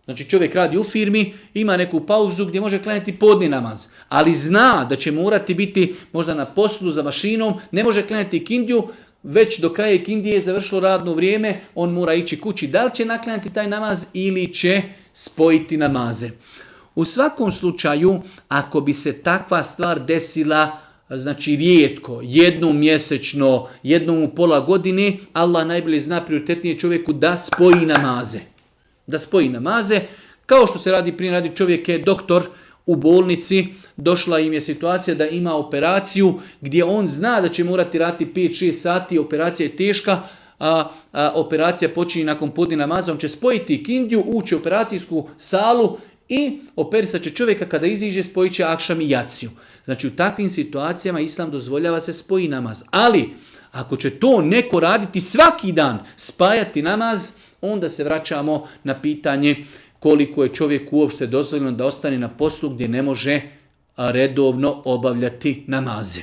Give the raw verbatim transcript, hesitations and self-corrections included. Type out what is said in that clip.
Znači čovjek radi u firmi, ima neku pauzu gdje može klanjati podni namaz, ali zna da će morati biti možda na poslu za mašinom, ne može klanjati ikindiju, već do kraja ikindije je završilo radno vrijeme, on mora ići kući. Da li će naklanjati taj namaz ili će spojiti namaze? U svakom slučaju, ako bi se takva stvar desila, znači rijetko, jednom mjesečno, jednom u pola godine, Allah najbolje zna, prioritetnije čovjeku da spoji namaze. Da spoji namaze, kao što se radi prije, radi čovjek je doktor u bolnici, došla im je situacija da ima operaciju gdje on zna da će morati raditi pet šest sati, operacija je teška, a, a operacija počinje nakon podne namaza, on će spojiti ikindiju, ući u operacijsku salu i operisat će čovjeka, kada iziđe spojit će akšam i jaciju. Znači u takvim situacijama Islam dozvoljava se spoji namaz. Ali ako će to neko raditi svaki dan, spajati namaz, onda se vraćamo na pitanje koliko je čovjek uopšte dozvoljeno da ostane na poslu gdje ne može redovno obavljati namaze.